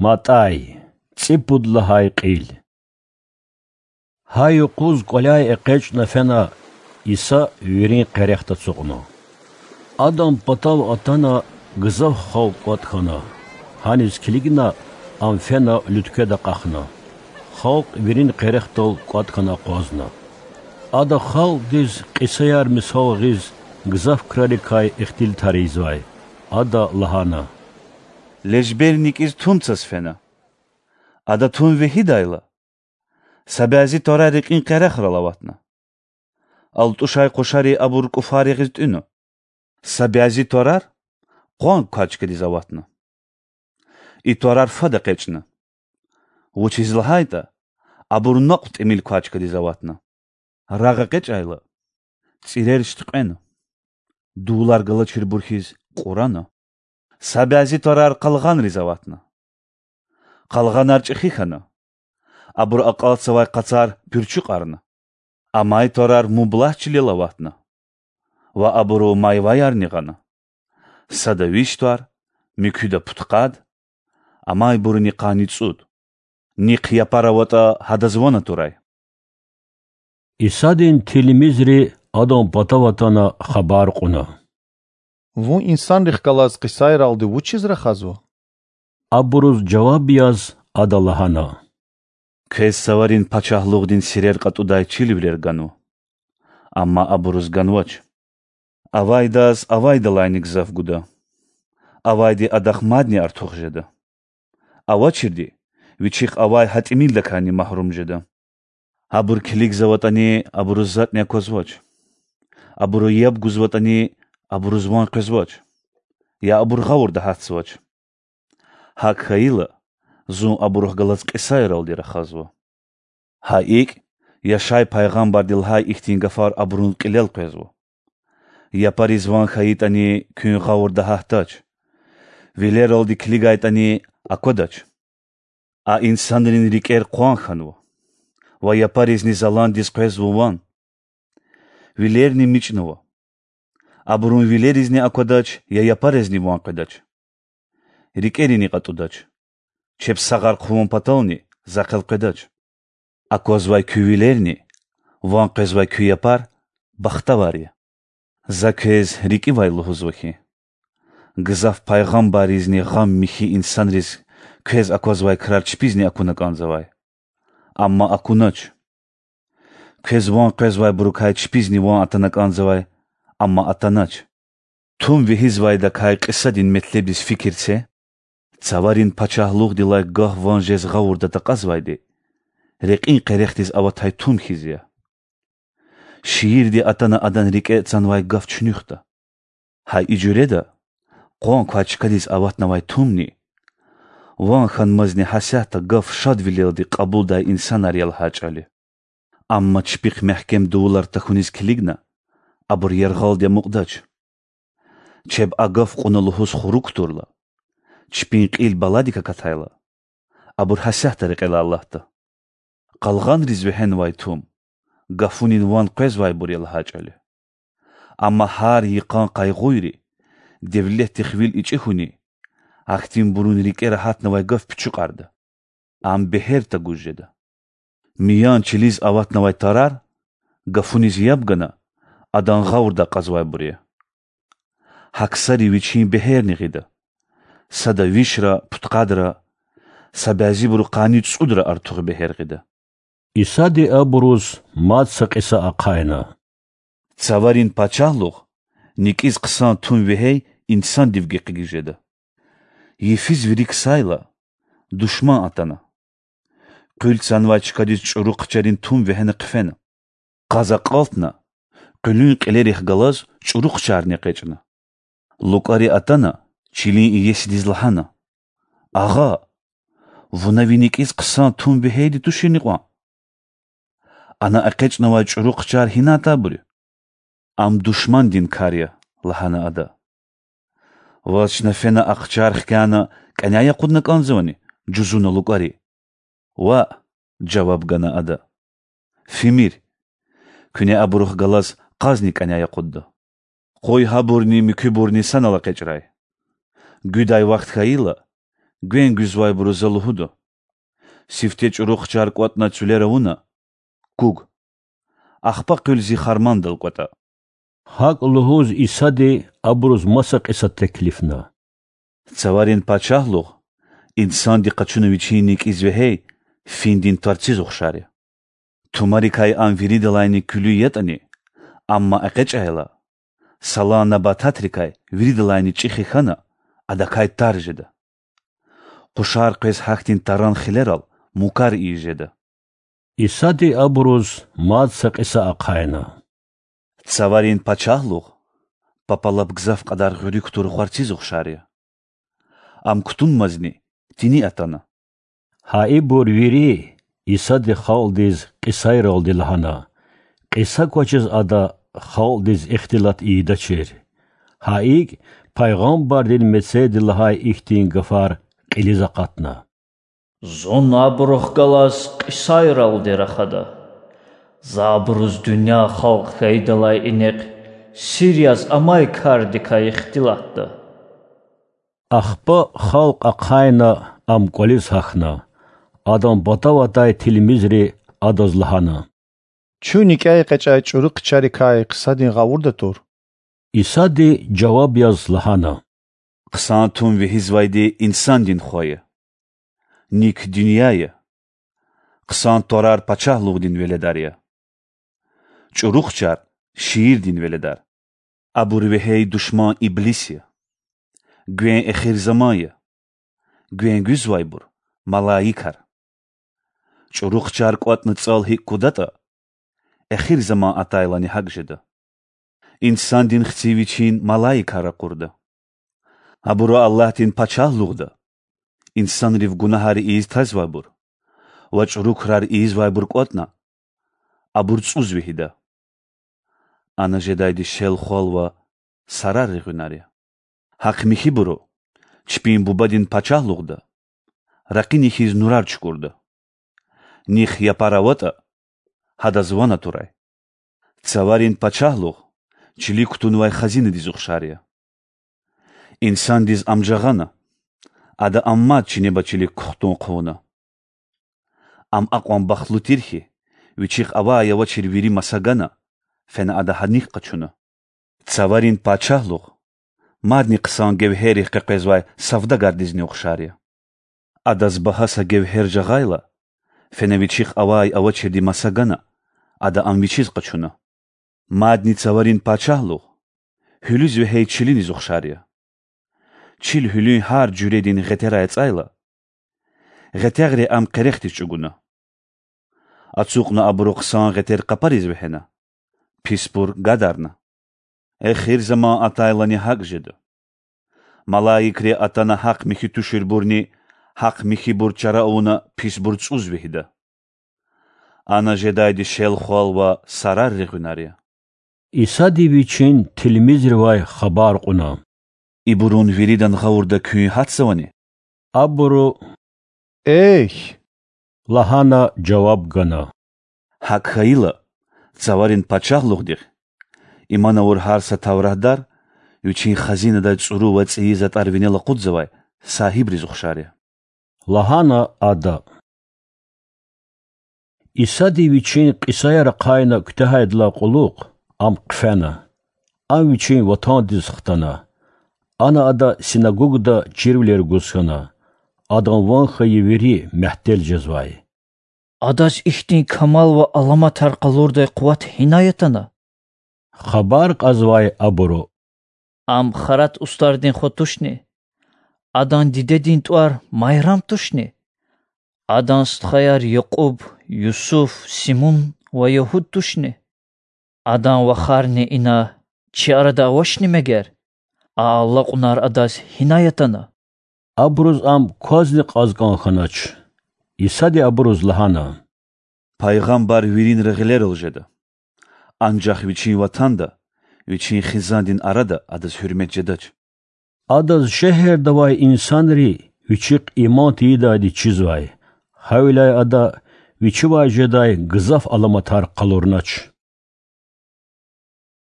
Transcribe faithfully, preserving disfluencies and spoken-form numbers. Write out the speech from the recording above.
МатӀай. ЦӀипуд лагьай кьил. Гьа юкъуз кӀваляй экъечӀна фена, Иса вирин къерехда ацукьна. Адан патав атана, гзаф халкь кӀватӀ хьана. Гьаниз килигна, Ам фена луьткведа акьахна. Халкь вирин къерехдал кӀватӀ хьана акъвазна. Ада халкьдиз кьисаяр мисал гъиз, гзаф крарикай ихтилатар ийизвай. Ада лагьана: Лежбер никӀиз тум цаз фена. Ада тум вегьидайла, са бязи тварар рекьин къерехрал аватна. АлтӀушай къушари абур кӀуфар ягъиз тӀуьна. Са бязи тварар къван квай чкадиз аватна. И тварар фад экъечӀна, вучиз лагьайтӀа абур накьв тӀимил квай чкадиз аватна. Рагъ экъечӀайла, цӀирер шткьвена, дувулар галачирбур хьиз кьурана. Са бязи тварар къалгъанриз аватна. Къалгъанар чӀехи хьана, абуру акьалтзавай къацар пуьрчуькьарна. Амай тварар мублагь чилел аватна ва абуру майваярни гъана: сада виш твар, муькуьда пудкъад, амайбуруни къанни цӀуд. Нихъ япар аватӀа, гьадаз ван атурай. Исадин тилмизри Адан патав атана хабар кьуна: Вун инсанрихъ галаз кьисайралди вучиз рахазва? Абуруз жаваб яз Ада лагьана: Квез цаварин пачагьлугъдин сирер кьатӀудай чирвилер ганва, амма абуруз ганвач. Авайдаз авайдалайни гзаф гуда, авайди адахъ мадни артух жеда. Авачирди вичихъ авай гьа тӀимилдакайни магьрум жеда. Абур килигзаватӀани, абуруз затӀни аквазвач. Абуру яб гузватӀани, абуруз ван къвезвач, я абур гъавурда гьатзавач. ГьакӀ хьайила, Зун абурухъ галаз кьисайралди рахазва. Гьа икӀ, Яшай пайгъамбарди лагьай ихьтин гафар абурун кьилел къвезва: Япариз ван хьайитӀани, куьн гъавурда гьатдач, вилералди килигайтӀани, аквадач. А инсанрин рикӀер къван хьанва ва япаризни заландиз къвезва ван. Вилерни мичӀнава. Абурун вилеризни аквадач, я япаризни ван къведач. РикӀерини кьатӀудач, чеб сагъар хъувун патални захъ элкъведач. Аквазвай куь вилерни ван къвезвай куь япар бахтавар я. За квез рикӀивай лугьузва хьи, гзаф пайгъамбарризни гъам михьи инсанриз квез аквазвай крар чпизни акуна кӀанзавай, амма акунач. Квез ван къвезвайбурукай чпизни ван атана кӀанзавай, амма атанач. Тум вегьизвайдакай кьисадин метлебдиз фикир це: цаварин пачагьлугъдилай гаф ван жез гъавурда такьазвайди рекьин къерехдиз аватай тум хьиз я. Шиирди атана адан рикӀе цанвай гаф чуьнуьхда. Гьа и жуьреда къван квай чкадиз аватнавай тумни, ван хьанмазни гьасятда гаф шадвилелди кьабулдай инсанар я лагьай чӀал я. Амма чпихъ мягькем дувулар тахьуниз килигна, абур яргъалди амукьдач. Чеб а гаф кьуна лугьуз хурук кутурла, чпин кьил баладик акатайла, абур гьасятда рекьелай алатда. Къалгъанриз вегьенвай тум гафунин ван къвезвайбур я лагьай чӀал я. Амма гьар йикъан къайгъуйри, девлетдихъ вил ичӀи хьуни, ахьтинбурун рикӀера гьатнавай гаф пичуькьарда. Ам бегьер тагуз жеда. Миян чилиз аватнавай тарар, гафуниз яб гана, адан гъавурда акьазвайбур я. Гьа ксари вичин бегьерни гъида: сада вишра, пудкъадра, са бязибуру къанни цӀудра артух бегьер гъида. Исади абуруз мад са кьиса ахъайна: Цаварин пачагьлугъ никӀиз хъсан тум вегьей инсандив гекъигиз жеда. Йифиз вири ксайла, душман атана, къуьл цанвай чкадиз чӀуру хъчарин тум вегьена хъфена. Къаз акьалтна, къуьлуьн кьилерихъ галаз чӀуру хъчарни экъечӀна. ЛукӀари атана, чилин иесидиз лагьана: Агъа, вуна ви никӀиз хъсан тум вегьейди туширни кьван? Ана экъечӀнавай чӀуру хъчар гьина атайбур я? Ам душмандин кар я,— лагьана ада. Ваз чна фена а хъчар хкяна кӀаняй акъудна кӀанзавани? жузуна лукӀари. Ваъ,— жаваб гана ада. Фимир, куьне абурухъ галаз къазни кӀаняй акъудда. Къуй гьабурни муькуьбурни санал экъечӀрай. Гуьдай вахт хьайила, Гвен гуьзвайбуру За лугьуда: сифте чӀуру хчар кӀватӀна цуьлер авуна, куг. Ахпа къуьл Зи хармандал кӀватӀа. ГьакӀ лугьуз Исади абуруз маса кьиса теклифна: Цаварин Пачагьлугъ инсанди къачуна вичин никӀиз вегьей финдин тварциз ухшар я. Тумарикай ам виридалайни куьлуь ятӀани, амма экъечӀайла, салан набататрикай виридалайни чӀехи хьана, адакай тар жеда. Къушар къвез гьахьтин таран хилерал мукар ийиз жеда. Исади абуруз мад са кьиса ахъайна: Цаварин Пачагьлугъ папа лап гзаф кьадар гъуьруьк тур гъварциз ухшар я. Ам кутунмазни тини атана. Гьа ибур вири Исади халкьдиз кьисайралди лагьана, кьиса квачиз Ада халкьдиз ихтилат ийидачир. Гьа икӀ пайгъамбардин мецелди лагьай ихьтин гафар кьилиз акъатна: Зун абурухъ галаз кьисайралди рахада. За абуруз дуьнья халкь хьайидалай инихъ сир яз амай кардикай ихтилатда. Ахпа халкь ахъайна Ам кӀвализ гьахьна. Адан патав атай тилмизри Адаз лагьана: Чун никӀе экъечӀай чӀуру хчарикай хъсандин гъавурда тур? Исади жаваб яз лагьана: Хъсан тум вегьизвайди инсандин хва я. Ник дуьнья я. Хъсан тварар пачагьлугъдин веледар я. ЧӀуру хчар шиирдин веледар. Абур вегьей душман иблис я. Гвен эхир заман я. Гвен гуьзвайбур— малаикар. ЧӀуру хчар кӀватӀна цӀал гьикӀ кудатӀа, эхир заман атайлани гьакӀ жеда. Инсандин Хци вичин малаикар ракъурда. Абуру Аллагьдин Пачагьлугъда, инсанрив гунагьар ийиз тазвайбур ва чӀуру крар ийизвайбур кӀватӀна, абур цӀуз вегьида. Ана жедайди шел хвал ва сарар регъуьнар я. Гьахъ-михьибуру чпин Бубадин Пачагьлугъда ракъини хьиз нурар чукурда. Нихъ япар аватӀа, гьадаз ван атурай. Цаварин Пачагьлугъ чилик кутунвай хазинадиз ухшар я. Инсандиз ам жагъана, ада ам мад чинеба чилик кухтун хъувуна. Ам акьван бахтлу тир хьи, вичихъ авай-авачир вири маса гана, фена ада гьаник къачуна. Цаварин Пачагьлугъ мадни хъсан гевгьеррихъ къекъвезвай савдагардизни ухшар я. Адаз багьа са гевгьер жагъайла, фена вичихъ авай-авачирди маса гана, ада ам вичиз къачуна. Мадни Цаварин Пачагьлугъ гьуьлуьз вегьей чилиниз ухшар я. Чил гьуьлуьн гьар жуьредин гъетерай ацӀайла, гъетягъри ам къерехдиз чӀугуна. Ацукьна абуру хъсан гъетер къапариз вегьена, писбур гадарна. Эхир заман атайлани гьакӀ жеда. Малаикри атана гьахъ-михьи туширбурни гьахъ-михьибур чара авуна писбур цӀуз вегьида. Ана жедайди шел хвал ва сарар регъуьнар я. Исади Вичин тилмизривай хабар кьуна: Ибурун виридан гъавурда куьн гьатзавани? Абуру: Эхь,— лагьана жаваб гана. ГьакӀ хьайила, Цаварин Пачагьлугъдихъ иман авур гьар са тавратдар вичин хазинадай цӀуру ва цӀийи затӀар винел акъудзавай сагьибриз ухшар я,— лагьана ада. Исади Вичин кьисаяр ахъайна куьтягьайдалай кьулухъ Ам хъфена. Ам Вичин ватандиз хтана. Ана Ада синагогда чирвилер гуз хьана. Адан ван хьайи вири мягьтел жезвай. Адаз ихьтин камал ва аламатар къалурдай къуват гьинай атана? хабар кьазвай абуру. Ам Харат устӀардин хва тушни? Адан дидедин тӀвар Майрам тушни? Адан стхаяр Якьуб, Юсуф, Симун ва Ягьуд тушни? Адан вахарни ина чи арада авачни мегер? А алакьунар Адаз гьинай атана? Абуруз Ам квазни кьаз кӀан хьанач. Исади абуруз лагьана: Пайгъамбар виринра гъилерал жеда, анжах вичин ватанда, вичин хизандин арада адаз гьуьрмет жедач. Адаз шегьерда авай инсанри Вичихъ иман тийидайди чизвай, гьавиляй Ада Вичивай жедай гзаф аламатар къалурнач.